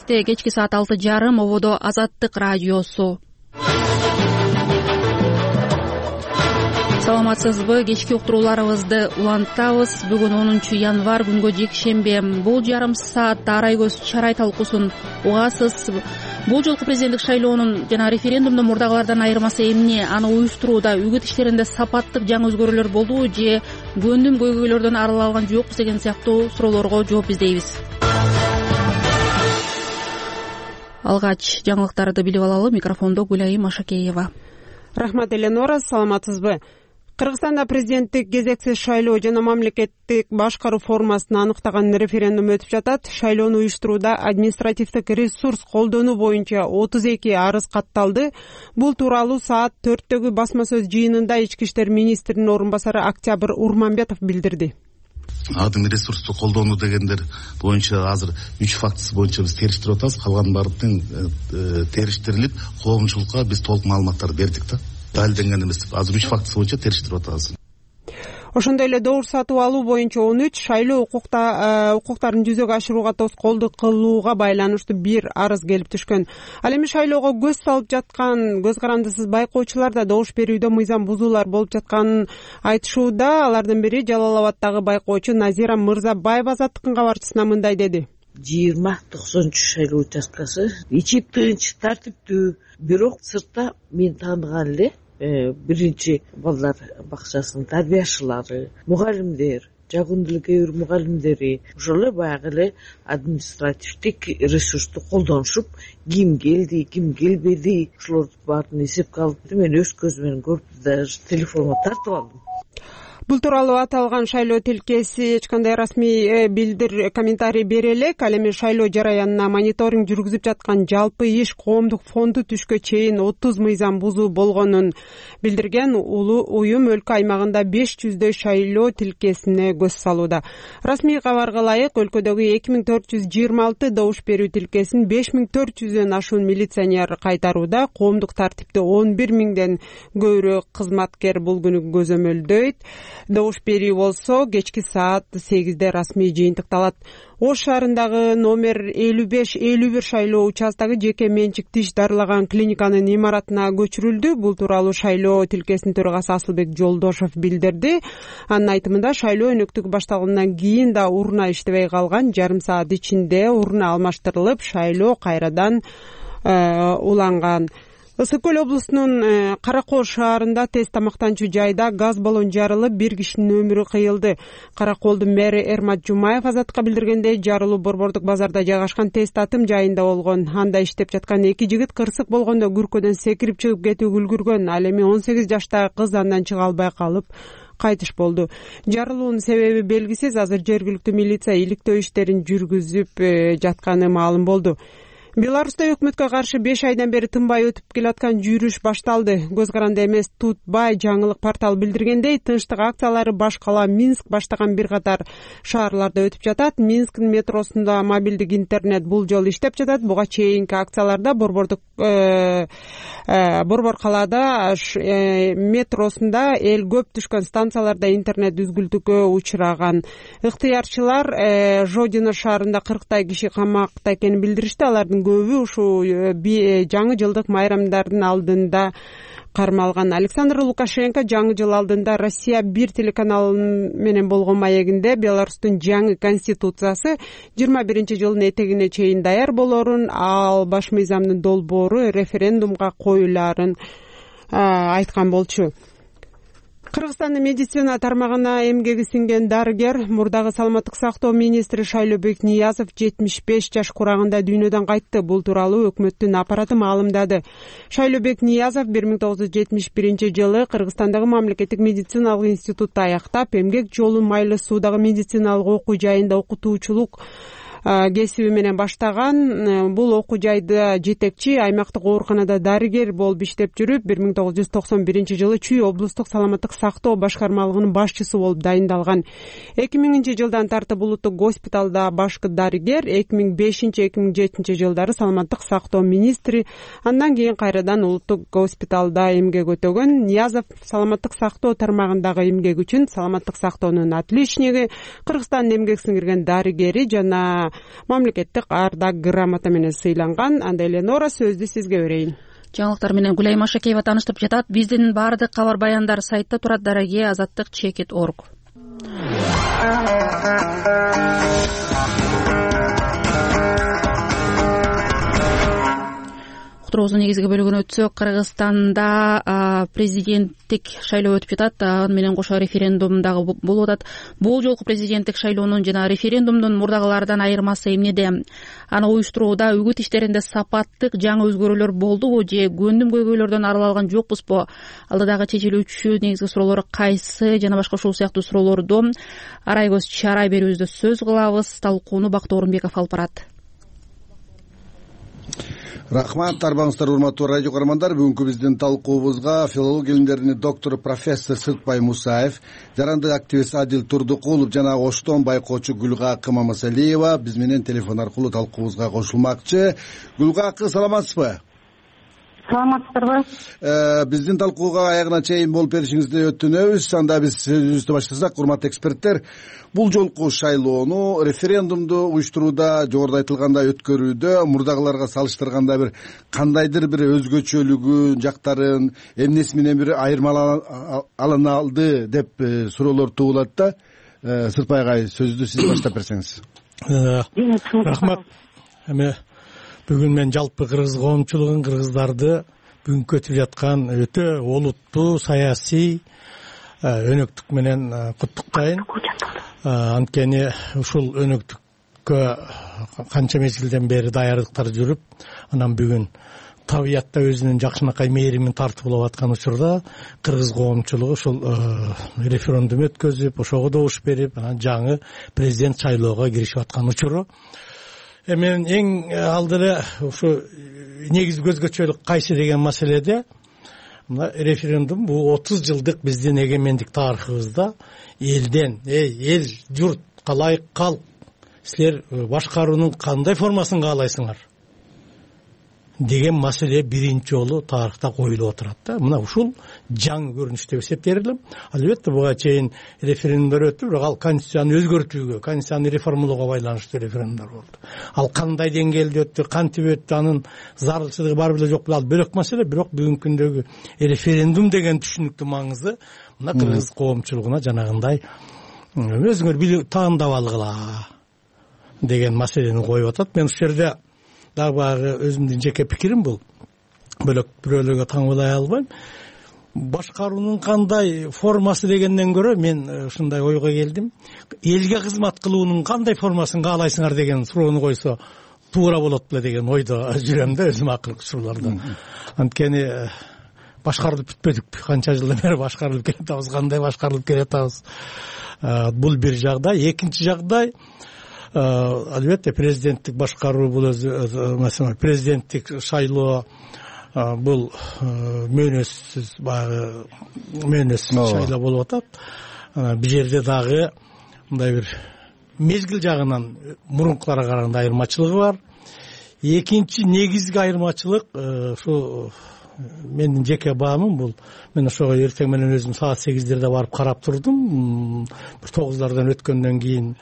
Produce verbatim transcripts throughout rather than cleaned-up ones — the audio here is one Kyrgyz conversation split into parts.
эртең кечки саат алты жарым ободо Азаттык радиосу. Саламатсызбы? Кечки уктурууларыбызды улантабыз. Бүгүн онунчу январь, күнгө жекшембе. Бул жарым саатта арай көз чарай талкуусун угасыз. Бул жолку президенттик шайлоонун жана референдумдун мурдагылардан айырмасы эмне? Аны уюштурууда үгүт иштеринде сапаттык жаңы өзгөрүүлөр болдубу же көндүм көйгөйлөрдөн арыла алган жокпуз деген сыяктуу суроолорго жооп издейбиз. Алгач жаңылыктарды билип алалы. Микрофондо Гүлайым Ашакеева. Рахмат, Эленора. Саламатсызбы? Кыргызстанда президенттик кезексиз шайлоо жана мамлекеттик башкаруу формасына аныктаган референдум өтүп жатат. Шайлоону уюштурууда административдик ресурс колдонуу боюнча отуз эки арыз катталды. Бул тууралуу саат төрттөгү басма сөз жыйынында ички иштер министринин орун басары Октябрь Урманбетов билдирди. Адым ресурсту колдонуу дегендер боюнча азыр үч фактысы боюнча биз териштирип атабыз. Калган баардыгын териштирилип, коомчулукка биз толук маалыматтарды бердик да. Далилденген эмес. Азыр үч фактысы боюнча териштирип атабыз. Ошондой эле добуш сатып алуу боюнча он үч, шайлоо укуктарын жүзөгө ашырууга тоскоолдук кылууга байланыштуу бир арыз келип түшкөн. Ал эми шайлоого көз салып жаткан көз карандысыз байкоочулар да добуш берүүдө мыйзам бузуулар болуп жатканын айтышууда. Алардын бири Жалал Абаддагы байкоочу Назира Мырзабаева Азаттыктын кабарчысына мындай деди. жыйырма токсонунчу шайлоо участкасы ичип тынч, тартиптүү, бирок сыртта мен тааныган эле биринчи балдар бакчасынын тарбияшылары, мугалимдер, жагындылык кээ бир мугалимдери ошол эле баягы эле административдик ресурсту колдонушуп, ким келди, ким келбеди, ошолорду баарын эсепке алып, мен өз көзүм менен көрүп, даже телефонго тартып алдым. Бул тууралуу аталган шайлоо тилкеси эч кандай расмий билдир комментарий бере элек. Ал эми шайлоо жараянына мониторинг жүргүзүп жаткан жалпы иш коомдук фонду түшкө чейин отуз мыйзам бузуу болгонун билдирген. Улуу уюм өлкө аймагында беш жүздөй шайлоо тилкесине көз салууда. Расмий кабарга ылайык, өлкөдөгү эки миң төрт жүз жыйырма алты добуш берүү тилкесин беш миң төрт жүздөн ашуун милиционер кайтарууда. Коомдук тартипти он бир миңден көбүрөөк кызматкер бул күнү көзөмөлдөйт. Добуш берүү болсо кечки саат сегизде расмий жыйынтыкталат. Ош шаарындагы номер элүү беш элүү бир шайлоо участогу жеке менчик тиш дарылаган клиниканын имаратына көчүрүлдү. Бул тууралуу шайлоо тилкесинин төрагасы Асылбек Жолдошов билдирди. Анын айтымында шайлоо өнөктүгү башталгандан кийин да урна иштебей калган. Жарым саат ичинде урна алмаштырылып, шайлоо кайрадан уланган. Ысык көл облусунун Каракол шаарында тез тамактанчу жайда газ баллон жарылып, бир кишинин өмүрү кыйылды. Караколдун мэри Эрмат Жумаев Азаттыкка билдиргендей, жарылуу Борбордук базарда жайгашкан тез татым жайында болгон. Анда иштеп жаткан эки жигит кырсык болгондо күркөдөн секирип чыгып кетүүгө үлгүргөн. Ал эми он сегиз жаштагы кыз андан чыга албай калып кайтыш болду. Жарылуунун себеби белгисиз. Азыр жергиликтүү милиция иликтөө иштерин жүргүзүп жатканы маалым болду. Беларуста өкмөткө каршы беш айдан бери тынбай өтүп келаткан жүрүш башталды. Көз каранды эмес Тутбай жаңылык порталы билдиргендей, тынчтык акциялары баш кала Минск баштаган бир катар шаарларда өтүп жатат. Минсктин метросунда мобилдик интернет бул жолу иштеп жатат. Буга чейинки акцияларда Борбордук Борбор калаада метросунда эл көп түшкөн станцияларда интернет үзгүлтүккө учураган. Ыктыярчылар Жодино шаарында кырктай киши камакта экенин билдиришти. Алардын көбү ушул жаңы жылдык майрамдардын алдында кармалган. Александр Лукашенко жаңы жыл алдында Россия бир телеканалы менен болгон маегинде Беларустун жаңы конституциясы жыйырма биринчи жылдын этегине чейин даяр болорун, ал баш мыйзамдын долбоору референдумга коюлаарын айткан болчу. Кыргызстандын медицина тармагына эмгеги сиңген дарыгер, мурдагы саламаттык сактоо министри Шайлообек Ниязов жетимиш беш жаш курагында дүйнөдөн кайтты. Бул тууралуу өкмөттүн аппараты маалымдады. Шайлообек Ниязов бир миң тогуз жүз жетимиш биринчи жылы Кыргызстандагы мамлекеттик медициналык институтту аяктап, эмгек жолу Майлы Суудагы медициналык окуу жайында окутуучулук кесиби менен баштаган. Бул окуу жайда жетекчи, аймактык ооруканада дарыгер болуп иштеп жүрүп, бир миң тогуз жүз токсон биринчи жылы Чүй облустук саламаттык сактоо башкармалыгынын башчысы болуп дайындалган. эки миңинчи жылдан тартып улуттук госпиталда башкы дарыгер, эки миң бешинчи эки миң жетинчи жылдары саламаттык сактоо министри, андан кийин кайрадан улуттук госпиталда эмгек өтөгөн. Ниязов саламаттык сактоо тармагындагы эмгек үчүн саламаттык сактоонун отличниги, Кыргызстандын эмгек сиңирген дарыгери жана мамлекеттик ардак грамота менен сыйланган. Анда эле Нора, сөздү сизге берейин. Жаңылыктар менен Гүлайым Ашакеева тааныштырып жатат. Биздин баардык кабар баяндар сайтта турат. Дараге азаттык чекит точка орг. Уктуруубуздун негизги бөлүгүнө өтсөк, Кыргызстанда президенттик шайлоо өтүп жатат. Аны менен кошо референдум дагы болуп атат. Бул жолку президенттик шайлоонун жана референдумдун мурдагылардан айырмасы эмнеде? Аны уюштурууда үгүт иштеринде сапаттык жаңы өзгөрүүлөр болдубу же көндүм көйгөйлөрдөн арыла алган жокпузбу? Алдыдагы чечилүүчү негизги суроолор кайсы жана башка ушул сыяктуу суроолорду арай көз чарай берүүбүздө сөз кылабыз. Талкууну Бактуу Орунбеков алып барат. Рахмат, арбаңыздар урматтуу радио көрөрмандар. Бүгүнкү биздин талкуубузга филология илимдеринин доктору профессор Сыртбай Мусаев, жарандык активист Адил Турдукулов жана Оштон байкоочу Гүлгакы Мамасалиева биз менен телефон аркылуу талкуубузга кошулмакчы. Гүлгакы, саламатсызбы? Саламатсыздарбы? Биздин талкууга аягына чейин болуп беришиңизди өтүнөбүз. Анда биз сөзүбүздү баштасак, урматтуу эксперттер, бул жолку шайлоону, референдумду уюштурууда, жогоруда айтылгандай өткөрүүдө мурдагыларга салыштырганда бир кандайдыр бир өзгөчөлүгүн, жактарын, эмнеси менен бир айырмалана алды деп суроолор туулат да. Сыртбай агай, сөздү сиз баштап берсеңиз. Рахмат. Эми бүгүн мен жалпы кыргыз коомчулугун, кыргыздарды бүгүнкү өтүп жаткан өтө олуттуу саясий өнөктүк менен куттуктайм. Анткени ушул өнөктүккө канча мезгилден бери даярдыктар жүрүп, анан бүгүн табиятта өзүнүн жакшынакай мээримин тартып алып аткан учурда кыргыз коомчулугу ушул референдум өткөзүп, ошого добуш берип, анан жаңы президент шайлоого киришип аткан учуру. Мен эң алды эле ушу негизги өзгөчөлүк кайсы деген маселеде мына референдум бул отуз жылдык биздин эгемендик тарыхыбызда элден, эл журтка ылайык калк, силер башкаруунун кандай формасын каалайсыңар деген маселе биринчи жолу тарыхта коюлуп отурат да. Мына ушул жаңы көрүнүш деп эсептейм. Албетте буга чейин референдумдар өттү, бирок ал конституцияны өзгөртүүгө, конституцияны реформалоого байланыштуу референдумдар болду. Ал кандай деңгээлде өттү, кантип өттү, анын зарылчылыгы бар беле жок беле, ал бөлөк маселе. Бирок бүгүнкү күндөгү референдум деген түшүнүктүн маңызы мына кыргыз коомчулугуна жанагындай өзүңөр билип таандап алгыла деген маселени коюп атат. Мен ушул жерде дагы баягы өзүмдүн жеке пикирим бул. Бөлөк бирөөлөргө таңбалай албайм. Башкаруунун кандай формасы дегенден көрө мен ушундай ойго келдим. Элге кызмат кылуунун кандай формасын каалайсыңар деген суроону койсо туура болот беле деген ойдо жүрөм да өзүм акыркы учурларда. Анткени башкарылып бүтпөдүк. Канча жылдан бери башкарылып келатабыз, кандай башкарылып келатабыз. Бул бир жагдай. Экинчи жагдай, албетте президенттик башкаруу бул өзү маселе, президенттик шайлоо бул мөөнөтсүз баягы мөөнөтсүз шайлоо болуп атат. Бул жерде дагы мындай бир мезгил жагынан мурункуларга караганда айырмачылыгы бар. Экинчи негизги айырмачылык ушу менин жеке баамым бул. Мен ошого эртең менен өзүм саат сегиздерде барып карап турдум. Бир тогуздардан өткөндөн кийин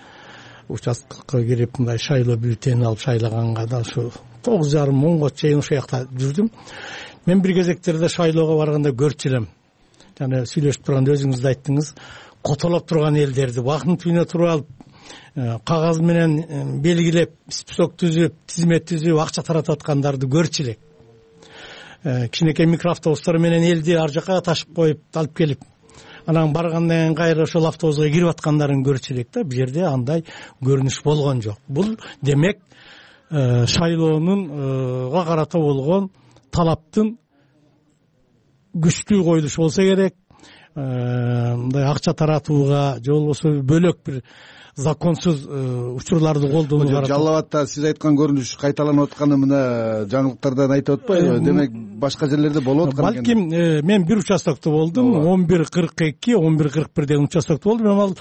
участкага кирип мындай шайлоо бюллетени алып шайлаганга да ушу тогуз жарым онго чейин ошол жакта жүрдүм. Мен бир кезектерде шайлоого барганда көрчү элем. Жана сүйлөшүп турганда өзүңүз да айттыңыз, котолоп турган элдерди бактын түбүнө туруп алып, кагаз менен белгилеп, список түзүп, тизмет түзүп, акча таратып аткандарды көрчү элек. Кичинекей микроавтобустар менен элди ар жакка ташып коюп, алып келип, анан баргандан кийин кайра ошол автобуска кирип аткандарын көрчү элек да. Бул жерде андай көрүнүш болгон жок. Бул демек шайлоонунга карата болгон талаптын күчтүү коюлушу болсо керек. Мындай акча таратууга же болбосо бөлөк бир законсуз учурларды колдонууга карата. Жалал Абадта сиз айткан көрүнүш кайталанып атканы мына жаңылыктардан айтып атпайбы? Демек башка жерлерде болуп аткан экен. Балким мен бир участокто болдум, он бир кырк эки он бир кырк бир деген участокто болдум. Мен ал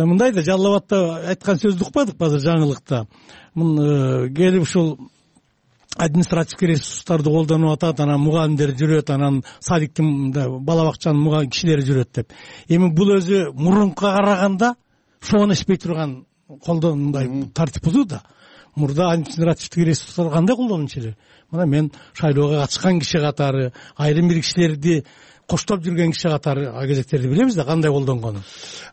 мындай да Жалал Абадта айткан сөздү укпадык азыр жаңылыкта. Мун келип ушул административдик ресурстарды колдонуп атат, анан мугалимдер жүрөт, анан садиктин бала бакчанын кишилери жүрөт деп. Эми бул өзү мурункуга караганда шоон эспей турган колдон мындай тартип бузуу да. мурда административдик ресурстар кандай колдонуучу эле? Мына мен шайлоого катышкан киши катары, айрым бир кишилерди коштоп жүргөн киши катары кезектерди билебиз да кандай колдонгонун.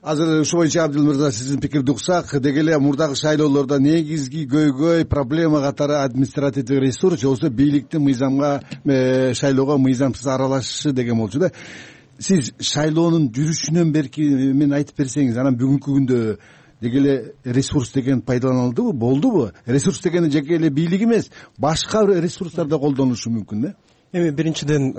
Азыр ушул боюнча Абдил мырза сиздин пикирди уксак, деги эле мурдагы шайлоолордо негизги көйгөй проблема катары административдик ресурс же болбосо бийликтин мыйзамга шайлоого мыйзамсыз аралашышы деген болчу да. Сиз шайлоонун жүрүшүнөн берки мен айтып берсеңиз, анан бүгүнкү күндө деги эле ресурс деген пайдаланылдыбы, болдубу? Ресурс дегени жеке эле бийлик эмес, башка ресурстар да колдонулушу мүмкүн да. Эми биринчиден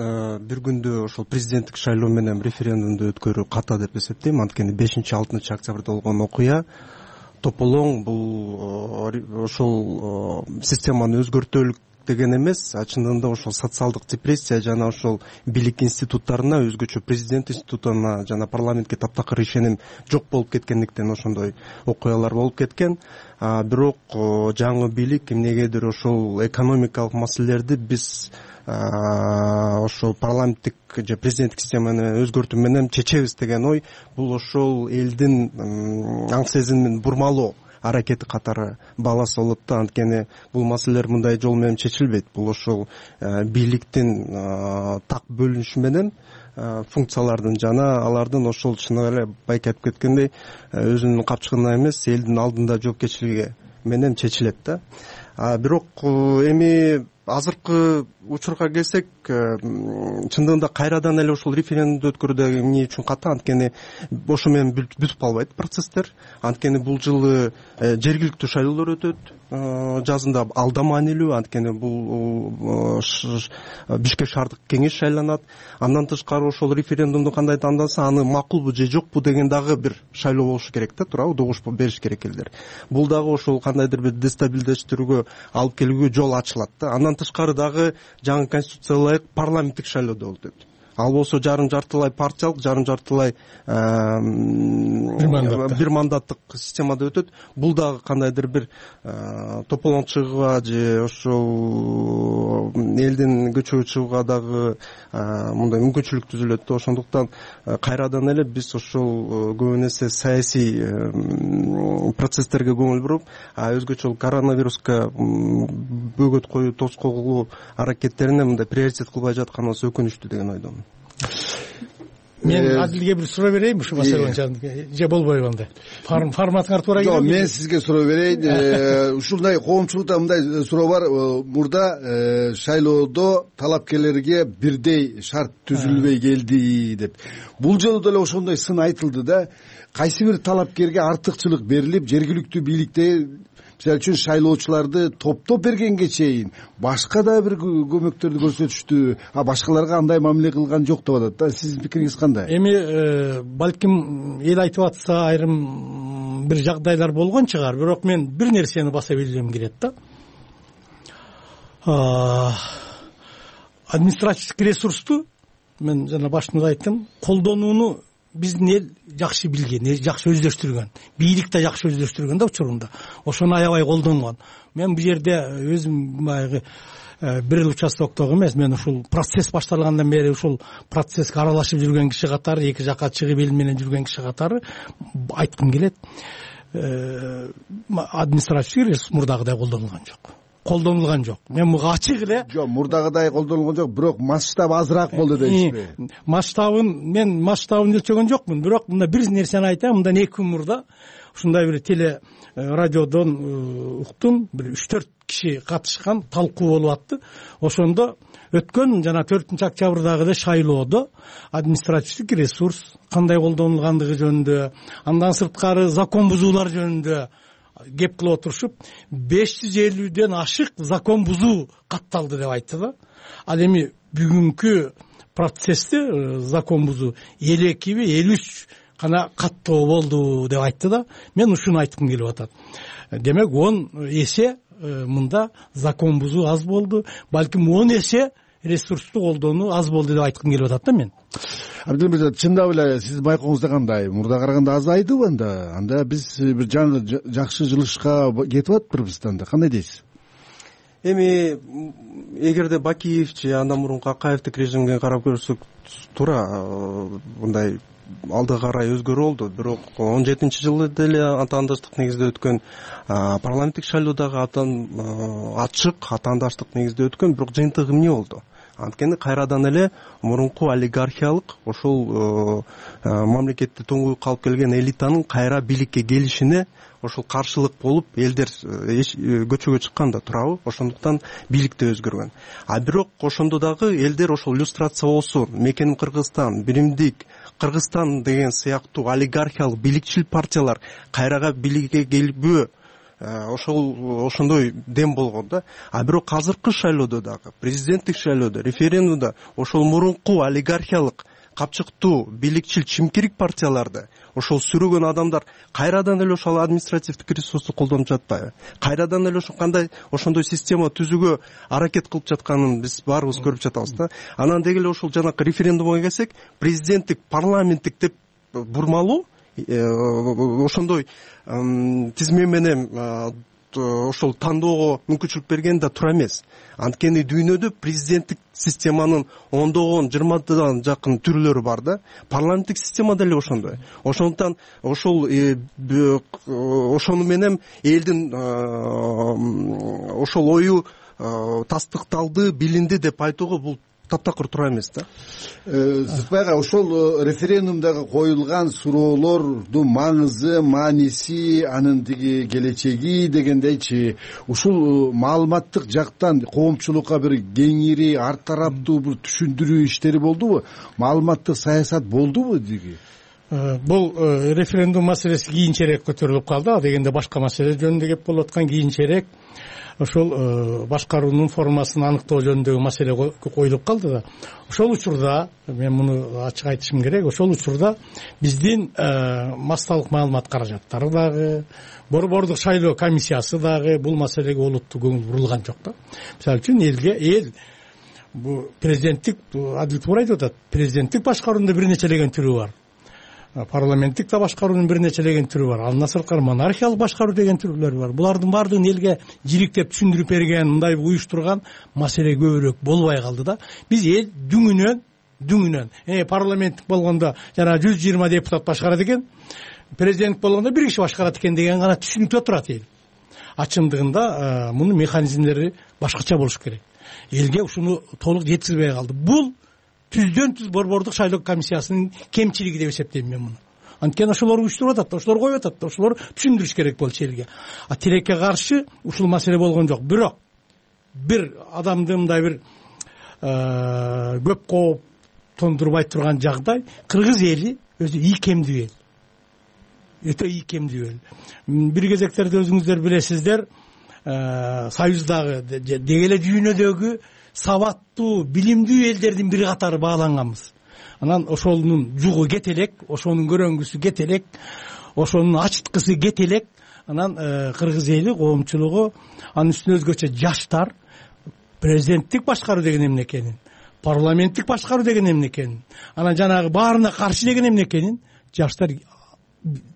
бир күндө ошол президенттик шайлоо менен референдумду өткөрүү ката деп эсептейм. Анткени бешинчи алтынчы октябрда болгон окуя тополоң бул ошол системаны өзгөртөлүк деген эмес, чындыгында ошол социалдык депрессия жана ошол бийлик институттарына, өзгөчө президент институтуна жана парламентке таптакыр ишеним жок болуп кеткендиктен ошондой окуялар болуп кеткен. Бирок жаңы бийлик эмнегедир ошол экономикалык маселелерди биз ошол парламенттик же президенттик системаны өзгөртүү менен чечебиз деген ой, бул ошол элдин аң сезимин бурмалоо аракети катары бааласа болот да. Анткени бул маселелер мындай жол менен чечилбейт. Бул ошол бийликтин так бөлүнүшү менен функциялардын жана алардын ошол чын эле байке айтып кеткендей өзүнүн капчыгына эмес, элдин алдында жоопкерчилиги менен чечилет да. Бирок эми азыркы учурга келсек, чындыгында кайрадан эле ошол референдумду өткөрүүдө эмне үчүн ката? Анткени ошо менен бүтүп калбайт процесстер. Анткени бул жылы жергиликтүү шайлоолор өтөт жазында, ал да маанилүү. Анткени бул Бишкек шаардык кеңеш шайланат. Андан тышкары ошол референдумду кандай тандаса, аны макулбу же жокпу деген дагы бир шайлоо болушу керек да, туурабы? Добуш бериш керек элдер. Бул дагы ошол кандайдыр бир дестабилдештирүүгө алып келүүгө жол ачылат да. Андан тышкары дагы жаңы конституцияга ылайык парламенттик шайлоодо өтөт. Ал болсо жарым жартылай партиялык, жарым жартылай бир мандаттык системада өтөт. Бул дагы кандайдыр бир тополоң чыгууга же ошол элдин көчөгө чыгууга дагы мындай мүмкүнчүлүк түзүлөт да. Ошондуктан кайрадан эле биз ошол көбүн эсе саясий процесстерге көңүл буруп, өзгөчө коронавируска бөгөт коюу, тоскоолоо аракеттерине мындай приоритет кылбай жатканыбыз өкүнүчтүү деген ойдомун. Мен Адилге бир суроо берейинби ушул маселе боюнча, же болбойбу андай? Форматыңар туура келет. Жок, мен сизге суроо берейин. Ушундай коомчулукта мындай суроо бар. Мурда шайлоодо талапкерлерге бирдей шарт түзүлбөй келди деп. Бул жолу деле ошондой сын айтылды да. Кайсы бир талапкерге артыкчылык берилип, жергиликтүү бийликте мисалы үчүн шайлоочуларды топтоп бергенге чейин башка да бир көмөктөрдү көрсөтүштү, а башкаларга андай мамиле кылган жок деп атат да. Сиздин пикириңиз кандай? Эми балким эл айтып атса айрым бир жагдайлар болгон чыгар, бирок мен бир нерсени баса билгим келет да. Административдик ресурсту мен жана башында айттым, колдонууну биздин эл жакшы билген, жакшы өздөштүргөн, бийлик да жакшы өздөштүргөн да учурунда. Ошону аябай колдонгон. Мен бул жерде өзүм баягы бир эл участоктогу эмес, мен ушул процесс башталгандан бери ушул процесске аралашып жүргөн киши катары, эки жакка чыгып эл менен жүргөн киши катары айткым келет. Административдик ресурс мурдагыдай колдонулган жок. колдонулган жок. Мен буга ачык эле. Жок, мурдагыдай колдонулган жок, бирок масштаб азыраак болду дейсизби? Масштабын мен масштабын өлчөгөн жокмун, бирок мында бир нерсени айтайын. Мындан эки күн мурда ушундай бир теле радиодон уктум, бир үч төрт киши катышкан талкуу болуп атты. Ошондо өткөн жана төртүнчү октябрдагы шайлоодо административдик ресурс кандай колдонулгандыгы жөнүндө, андан сырткары закон бузуулар жөнүндө кеп кылып отурушуп, беш жүз элүүдөн ашык закон бузуу катталды деп айтты да. Ал эми бүгүнкү процессте закон бузуу элүү экиби элүү үч гана каттоо болду деп айтты да. Мен ушуну айткым келип атат. Демек он эсе мында закон бузуу аз болду, балким он эсе ресурсту колдонуу аз болду деп айткым келип атат да мен. Абдил мырза, чындап эле сиздин байкооңузда кандай? Мурда караганда азайдыбы анда? Анда биз бир жакшы жылышка кетип атпырбыз анда. Кандай дейсиз? Эми эгерде Бакиев же андан мурунку Акаевдик режимге карап көрсөк, туура мындай алдыга карай өзгөрүү болду. Бирок он жетинчи жылы деле атаандаштык негизде өткөн парламенттик шайлоо дагы ачык атаандаштык негизде өткөн, бирок жыйынтыгы эмне болду? Анткени кайрадан эле мурунку олигархиялык ошол мамлекетти туңгуюкка алып келген элитанын кайра бийликке келишине ошол каршылык болуп элдер көчөгө чыккан да турабы. Ошондуктан бийлик да өзгөргөн. А бирок ошондо дагы элдер ошол иллюстрация болсун, мекеним Кыргызстан, биримдик Кыргызстан деген сыяктуу олигархиялык бийликчил партиялар кайрага бийликке келбөө, ошол ошондой дем болгон да. А бирок азыркы шайлоодо дагы, президенттик шайлоодо, референдумда ошол мурунку олигархиялык капчыктуу бийликчил чимкирик партияларды ошол сүрөгөн адамдар кайрадан эле ошол административдик ресурсту колдонуп жатпайбы? Кайрадан эле ошо кандай ошондой система түзүүгө аракет кылып жатканын биз баарыбыз көрүп жатабыз да. Анан деги эле ошол жанакы референдумга келсек, президенттик, парламенттик деп бурмалуу ошондой тизме менен ошол тандоого мүмкүнчүлүк берген да тура эмес. Анткени дүйнөдө президенттик системанын ондогон, жыйырмадан жакын түрлөрү бар да. Парламенттик система деле ошондой. Ошондуктан ошол ошону менен элдин ошол ою тастыкталды, билинди деп айтууга бул таптакыр туура эмес да. Зыкбай ага, ошол референдумдагы коюлган суроолордун маңызы, мааниси, анын тиги келечеги дегендейчи, ушул маалыматтык жактан коомчулукка бир кеңири, ар тараптуу бир түшүндүрүү иштери болдубу? Маалыматтык саясат болдубу диги? Бул референдум маселеси кийинчерээк көтөрүлүп калды. А дегенде башка маселе жөнүндө кеп болуп аткан кийинчерээк ошол башкаруунун формасын аныктоо жөнүндөгү маселе коюлуп калды да. Ошол учурда мен муну ачык айтышым керек. Ошол учурда биздин массалык маалымат каражаттары дагы, борбордук шайлоо комиссиясы дагы бул маселеге олуттуу көңүл бурулган жок да. Мисалы үчүн элге эл бул президенттик, Адил туура айтып атат, президенттик башкаруунун бир нечелеген түрү бар. Парламенттик да башкаруунун бир нечелеген түрү бар. Андан сырткары монархиялык башкаруу деген түрлөр бар. Булардын баардыгын элге жириктеп түшүндүрүп берген, мындай уюштурган маселе көбүрөөк болбой калды да. Биз эл дүңүнөн, дүңүнөн, э парламенттик болгондо жана жүз жыйырма депутат башкарат экен, президент болгондо бир киши башкарат экен деген гана түшүнүктө турат эл. А чындыгында мунун механизмдери башкача болуш керек. Элге ушуну толук жеткизбей калды. Бул түздөн түз борбордук шайлоо комиссиясынын кемчилиги деп эсептейм мен муну. Анткени ошолор уюштуруп атат, ошолор коюп атат, ошолор түшүндүрүш керек болчу элге. А тилекке каршы ушул маселе болгон жок. Бирок бир адамды мындай бир көп кооп тондурбай турган жагдай, кыргыз эли өзү ийкемдүү эл. Өтө ийкемдүү эл. Бир кезектерде өзүңүздөр билесиздер, союздагы деги эле дүйнөдөгү сабаттуу, билимдүү элдердин бир катары бааланганбыз. Анан ошонун жугу кете элек, ошонун көрөнгүсү кете элек, ошонун ачыткысы кете элек. Анан кыргыз эли коомчулугу, анын үстүнө өзгөчө жаштар президенттик башкаруу деген эмне экенин, парламенттик башкаруу деген эмне экенин, анан жанагы баарына каршы деген эмне экенин жаштар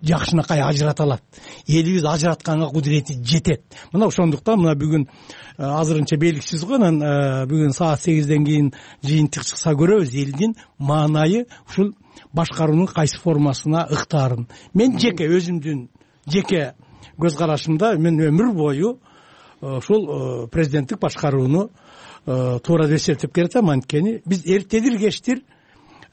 жакшынакай ажырата алат. Элибиз ажыратканга кудурети жетет. Мына ошондуктан мына бүгүн азырынча белгисиз го, анан бүгүн саат сегизден кийин жыйынтык чыкса көрөбүз элдин маанайы ушул башкаруунун кайсы формасына ыктаарын. Мен жеке өзүмдүн жеке көз карашымда мен өмүр бою ушул президенттик башкарууну туура деп эсептеп келатам. Анткени биз эртедир кечтир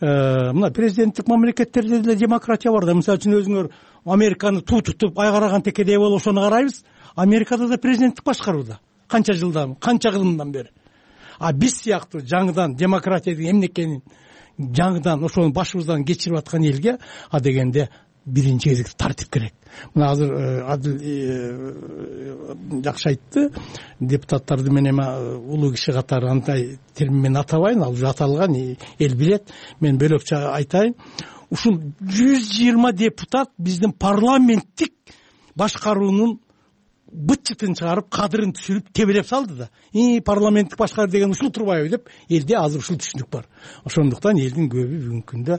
мына президенттик мамлекеттерде деле демократия бар да. Мисалы үчүн өзүңөр Американы туу тутуп айгараган текедей болуп ошону карайбыз. Америкада да президенттик башкарууда. Канча жылдан, канча кылымдан бери. А биз сыяктуу жаңыдан демократия деген эмне экенин жаңыдан ошону башыбыздан кечирип аткан элге а дегенде биринчи кезекте тартип керек. Мына азыр Адил жакшы айтты, депутаттарды мен эми улуу киши катары андай термин менен атабайын, ал уже аталган, эл билет. Мен бөлөкчө айтайын. Ушул жүз жыйырма депутат биздин парламенттик башкаруунун быт-чытын чыгарып, кадырын түшүрүп, тебелеп салды да. И парламенттик башкаруу деген ушул турбайбы деп элде азыр ушул түшүнүк бар. Ошондуктан элдин көбү бүгүнкү күндө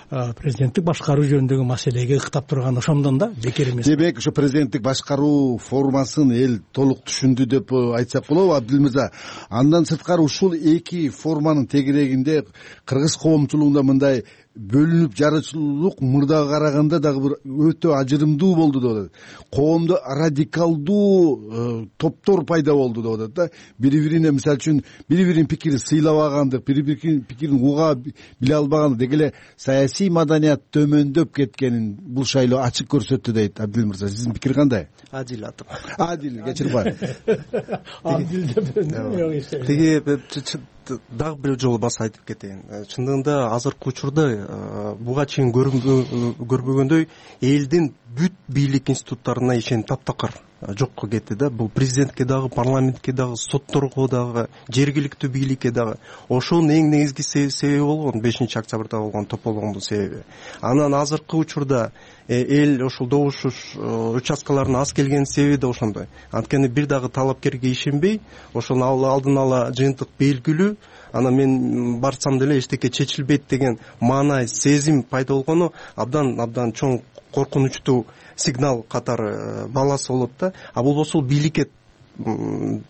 президенттик башкаруу жөнүндөгү маселеге ыктап турган ошондон да бекер эмес. Демек ошо президенттик башкаруу формасын эл толук түшүндү деп айтсак болобу Абдил мырза? Андан сырткары ушул эки форманын тегерегинде кыргыз коомчулугунда мындай бөлүнүп жарычылуулук мурдага караганда дагы бир өтө ажырымдуу болду деп атат. Коомдо радикалдуу топтор пайда болду деп атат да. Бири бирине мисалы үчүн бири биринин пикирин сыйлабагандык, бири биринин пикирин уга биле албагандык, деги эле саясий маданият төмөндөп кеткенин бул шайлоо ачык көрсөттү дейт Абдил мырза. Сиздин пикир кандай? Адил атым. Адил, кечирбай. Адил деп тиги дагы бир жолу баса айтып кетейин. Чындыгында азыркы учурда буга чейин көрбөгөндөй элдин бүт бийлик институттарына ишеним таптакыр жокко кетти да. Бул президентке дагы, парламентке дагы, сотторго дагы, жергиликтүү бийликке дагы. Ошонун эң негизги себеби болгон бешинчи октябрда болгон тополгондун себеби. Анан азыркы учурда эл ошол добуш участкаларына аз келген себеби да ошондой. Анткени бир дагы талапкерге ишенбей, ошону алдын ала жыйынтык белгилүү, анан мен барсам деле эчтеке чечилбейт деген маанай сезим пайда болгону абдан абдан чоң коркунучтуу сигнал катары баласы болот да. А болбосо бийликке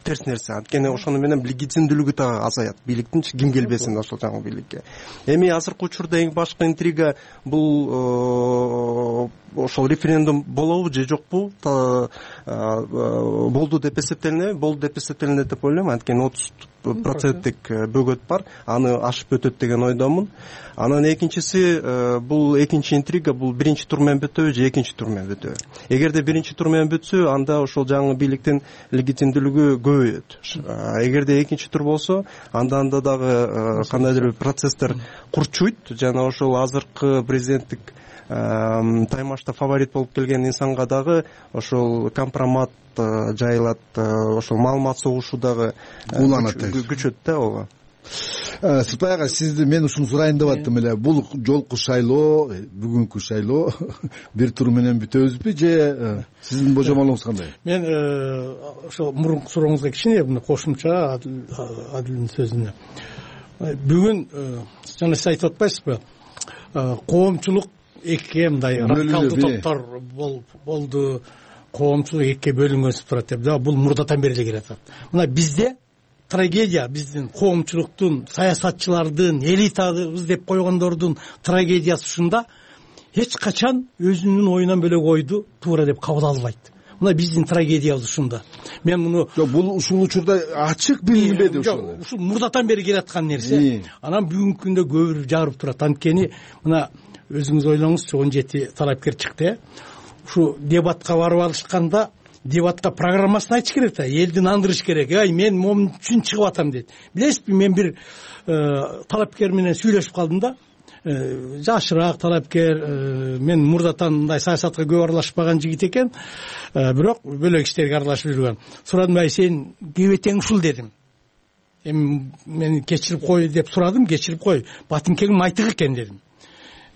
терс нерсе. Анткени ошону менен легитимдүүлүгү да азаят. Бийликтин ким келбесин ошол жаңы бийликке. Эми азыркы учурда эң башкы интрига бул ошол референдум болобу же жокпу? Болду деп эсептелинеби? Болду деп эсептелинет деп ойлойм. Анткени отуз проценттик бөгөт бар. Аны ашып өтөт деген ойдомун. Анан экинчиси, бул экинчи интрига, бул биринчи тур менен бүтөбү же экинчи тур менен бүтөбү? Эгерде биринчи тур менен бүтсө, анда ошол жаңы бийликтин легитимдүүлүгү көбөйөт. Эгерде экинчи тур болсо, анда анда дагы кандайдыр бир процесстер курчуйт жана ошол азыркы президенттик таймашта фаворит болуп келген инсанга дагы ошол компромат жайылат, ошол маалымат согушу дагы күчөт да. ооба. Сыртбай ага, сизди мен ушуну сурайын деп аттым эле. Бул жолку шайлоо, бүгүнкү шайлоо бир тур менен бүтөбүзбү же сиздин божомолуңуз кандай? Мен ошол мурунку сурооңузга кичине мына кошумча Адилдин сөзүнө. Бүгүн жана сиз айтып атпайсызбы? Коомчулук экиге мындай радикалдуу топтор болду, коомчулук экиге бөлүнгөнсүп турат деп. Бул мурдатан бери эле келатат. Мына бизде трагедия, биздин коомчулуктун, саясатчылардын, элитабыз деп койгондордун трагедиясы ушунда: эч качан өзүнүн оюнан бөлөк ойду туура деп кабыл албайт. Мына биздин трагедиябыз ушунда. Мен муну бул ушул учурда ачык билинбеди ушул. Ушул мурдатан бери келаткан нерсе. Анан бүгүнкү күндө көбүрөөк жагырып турат. Анткени мына өзүңүз ойлоңузчу, он жети талапкер чыкты. Ушу дебатка барып алышканда дебатка программасын айтыш керек да, элди нандырыш керек. Ай, мен момун үчүн чыгып атам дейт. Билесизби, мен бир талапкер менен сүйлөшүп калдым да. Жашыраак талапкер, мен мурдатан мындай саясатка көп аралашпаган жигит экен, бирок бөлөк иштерге аралашып жүргөн. Сурадым: ай, сен кебетең ушул дедим. Эми мен кечирип кой деп сурадым, кечирип кой. Батыңкең майтык экен дедим.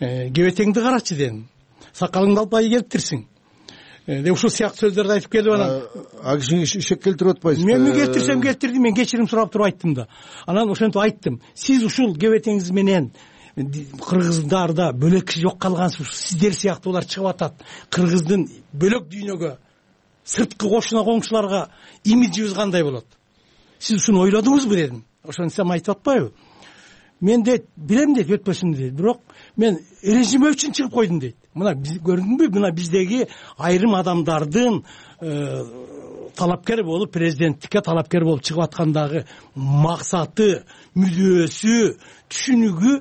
Кебетеңди карачы дедим. Сакалыңды албай келиптирсиң. Деп ушул сыяктуу сөздөрдү айтып келип анан а кишине ишек келтирип атпайсызбы? Мен келтирсем келтирдим, мен кечирим сурап туруп айттым да. Анан ошентип айттым: сиз ушул кебетеңиз менен кыргыздарда бөлөк киши жок калгансыз, сиздер сыяктуулар чыгып атат. Кыргыздын бөлөк дүйнөгө, сырткы кошуна коңшуларга имиджибиз кандай болот? Сиз ушуну ойлодуңузбу дедим. Ошентсем айтып атпайбы? Мен дейт, билем дейт, өтпөсүн дейт. Бирок мен режим үчүн чыгып койдум дейт. Мына биз көрдүңбү, мына биздеги айрым адамдардын талапкер болуп, президенттикке талапкер болуп чыгып аткандагы максаты, мүдөөсү, түшүнүгү.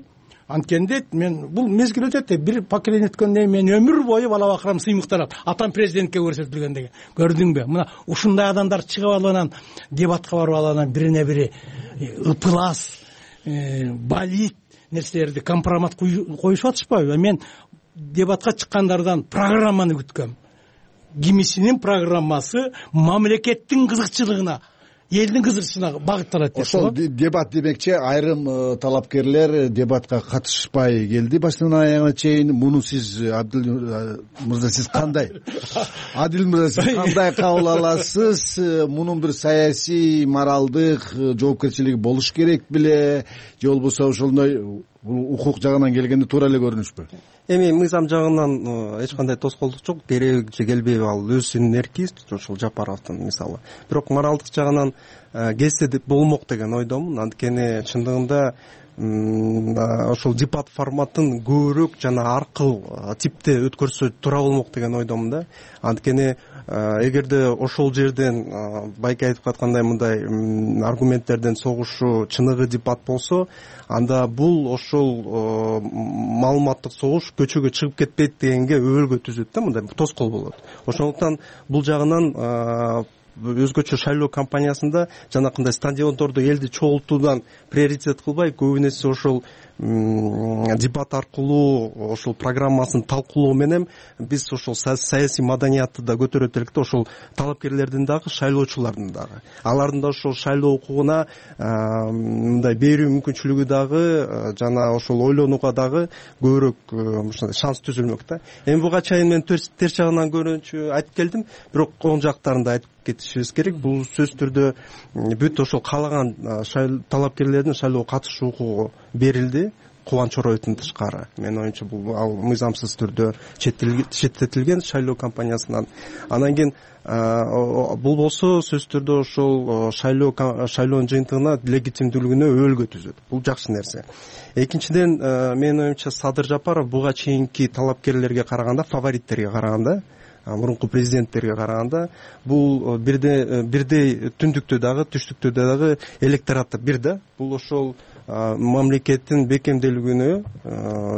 Анткени дейт, мен бул мезгил өтөт, бир поколение өткөндөн мен өмүр бою бала бакырам сыймыктанат. Атам президентке көрсөтүлгөн деген. Көрдүңбү? Мына ушундай адамдар чыгып алып анан дебатка барып алып бирине бири ыпылас, балит нерселерди компромат коюшуп атышпайбы? Мен дебатка чыккандардан программаны күткөм. Кимисинин программасы мамлекеттин кызыкчылыгына, элдин кызыкчылыгына багытталат деп. Ошол дебат демекчи, айрым талапкерлер дебатка катышпай келди башынан аягына чейин. Муну сиз, Адил мырза, сиз кандай? Адил мырза, сиз кандай кабыл аласыз? Мунун бир саясий, моралдык жоопкерчилиги болуш керек беле? Же болбосо ошондой бул укук жагынан келгенде туура эле көрүнүшпү? Эми мыйзам жагынан эч кандай тоскоолдук жок, керек же келбейби ал өзүнүн эрки ушул Жапаровдун мисалы. Бирок моралдык жагынан келсе деп болмок деген ойдомун. Анткени чындыгында ошол дебат форматын көбүрөөк жана аркыл типте өткөрсө туура болмок деген ойдомун да. Анткени эгерде ошол жерден байке айтып аткандай мындай аргументтерден согушу чыныгы дебат болсо, анда бул ошол маалыматтык согуш көчөгө чыгып кетпейт дегенге өбөлгө түзөт да, мындай тоскоол болот. Ошондуктан бул жагынан өзгөчө шайлоо кампаниясында жанакындай стадиондордо элди чогултуудан приоритет кылбай, көбүнесе ошол дебат аркылуу ошол программасын талкуулоо менен биз ошол саясий маданиятты да көтөрөт элек да, ошол талапкерлердин дагы, шайлоочулардын дагы, алардын да ошол шайлоо укугуна мындай берүү мүмкүнчүлүгү дагы жана ошол ойлонууга дагы көбүрөөк ушундай шанс түзүлмөк да. Эми буга чейин мен терс жагынан көрүүнчү айтып келдим, бирок оң жактарын да айтып кетишибиз керек. Бул сөзсүз түрдө бүт ошол каалаган талапкерлердин шайлоого катышуу укугу берилди, Кубанч Ороевдун тышкары. Менин оюмча бул ал мыйзамсыз түрдө четтетилген шайлоо кампаниясынан. Анан кийин бул болсо сөзсүз түрдө ошол шайлоо шайлоонун жыйынтыгына легитимдүүлүгүнө өбөлгө түзөт. Бул жакшы нерсе. Экинчиден, менин оюмча Садыр Жапаров буга чейинки талапкерлерге караганда, фавориттерге караганда, мурунку президенттерге караганда бул бирдей бирдей түндүктө дагы, түштүктө дагы электораты бир да. Бул ошол мамлекеттин бекемделүүнө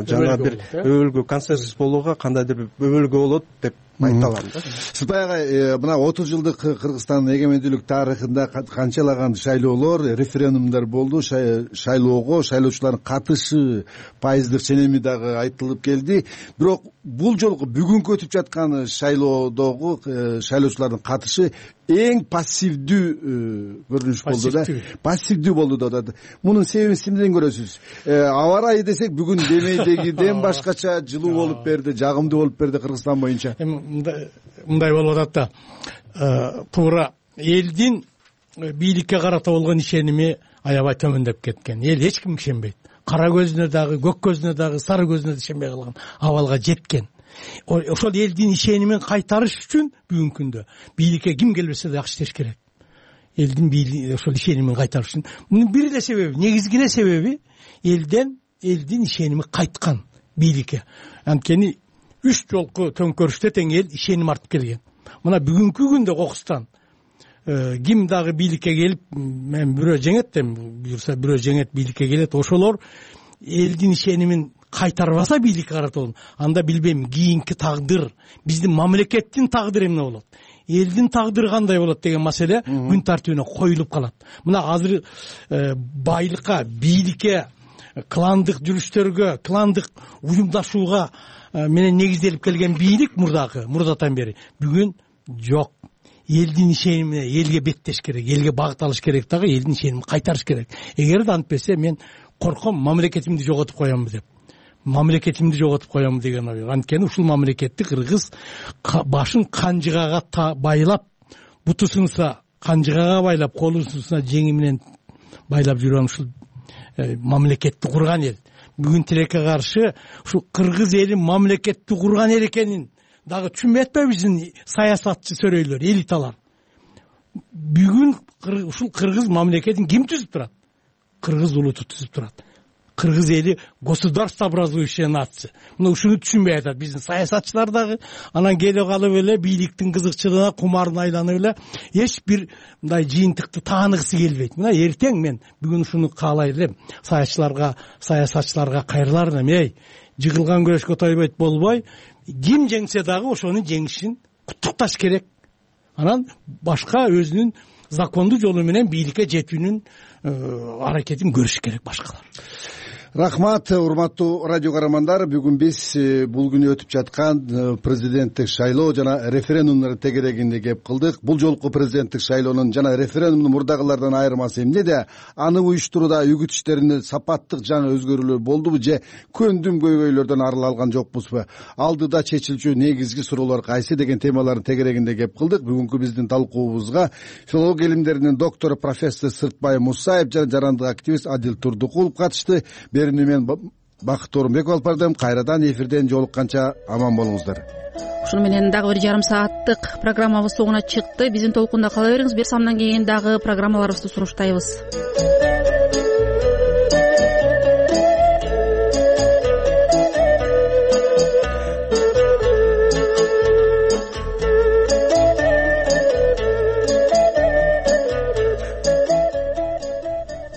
жана бир өбөлгө, консенсус болууга кандайдыр бир өбөлгө болот деп айта алам да. Сиз баягы мына отуз жылдык Кыргызстандын эгемендүүлүк тарыхында канчалаган шайлоолор, референдумдар болду, шайлоого шайлоочулардын катышы пайыздык ченеми дагы айтылып келди. Бирок бул жолку бүгүнкү өтүп жаткан шайлоодогу шайлоочулардын катышы эң пассивдүү көрүнүш болду да. Пассивдүү болду да. Мунун себебин сиз эмнеден көрөсүз? Аба ырайы десек бүгүн демейдегиден башкача жылуу болуп берди, жагымдуу болуп берди Кыргызстан боюнча. Мындай болуп атат да, туура элдин бийликке карата болгон ишеними аябай төмөндөп кеткен. Эл эч кимге ишенбейт. Кара көзүнө дагы, көк көзүнө дагы, сары көзүнө да ишенбей калган абалга жеткен. Ошол элдин ишенимин кайтарыш үчүн бүгүнкү күндө бийликке ким келбесе да жакшы иштеш керек. Элдин ошол ишенимин кайтарыш үчүн. Мунун бир эле себеби, негизги эле себеби элден элдин ишеними кайткан бийликке. Анткени үч жолку төңкөрүштө тең эл ишеним артып келген. Мына бүгүнкү күндө Кокустан ким дагы бийликке келип, мен бирөө жеңет дем, буюрса бирөө жеңет бийликке келет, ошолор элдин ишенимин кайтарбаса бийликке карата, анда билбейм кийинки тагдыр, биздин мамлекеттин тагдыры эмне болот, элдин тагдыры кандай болот деген маселе күн тартибине коюлуп калат. Мына азыр байлыкка, бийликке, кландык жүрүштөргө, кландык уюмдашууга менен негизделип келген бийлик мурдагы, мурдатан бери бүгүн жок. Элдин ишенимине элге беттеш керек, элге багыт алыш керек дагы, элдин ишенимин кайтарыш керек. Эгерде антпесе мен корком мамлекетимди жоготуп коямбы деп. Мамлекетимди жоготуп коямбы деген ой. Анткени ушул мамлекетти кыргыз башын канжыгага байлап, буту сынса канжыгага байлап, колу сынса жеңи менен байлап жүргөн ушул мамлекетти курган эл. Бүгүн тилекке каршы ушул кыргыз эли мамлекетти курган эл экенин дагы түшүнбөй атпайбы биздин саясатчы сөрөйлөр, элиталар. Бүгүн ушул кыргыз мамлекетин ким түзүп турат? Кыргыз улуту түзүп турат. Кыргыз эли государство образующая нация. Мына ушуну түшүнбөй атат биздин саясатчылар дагы. Анан келип калып эле бийликтин кызыкчылыгына, кумарына айланып эле эч бир мындай жыйынтыкты тааныгысы келбейт. Мына эртең мен бүгүн ушуну каалай элем. Саясатчыларга, саясатчыларга кайрылар элем. Эй, жыгылган күрөшкө тойбойт болбой, ким жеңсе дагы ошонун жеңишин куттукташ керек. Анан башка өзүнүн закондуу жолу менен бийликке жетүүнүн аракетин көрүш керек башкалар. Рахмат, урматтуу радио каармандар. Бүгүн биз бул күнү өтүп жаткан президенттик шайлоо жана референдумдун тегерегинде кеп кылдык. Бул жолку президенттик шайлоонун жана референдумдун мурдагылардан айырмасы эмнеде? Аны уюштурууда үгүт иштеринде сапаттык жана өзгөрүүлөр болдубу же көндүм көйгөйлөрдөн арыла алган жокпузбу? Алдыда чечилчү негизги суроолор кайсы деген темалардын тегерегинде кеп кылдык. Бүгүнкү биздин талкуубузга филология илимдеринин доктору профессор Сыртбай Мусаев жана жарандык активист Адил Турдукулов катышты. берүүнү мен Бакыт Орунбеков алып бардым. Кайрадан эфирден жолукканча аман болуңуздар. Ушуну менен дагы бир жарым сааттык программабыз соңуна чыкты. Биздин толкунда кала бериңиз. Бир самдан кийин дагы программаларыбызды сунуштайбыз.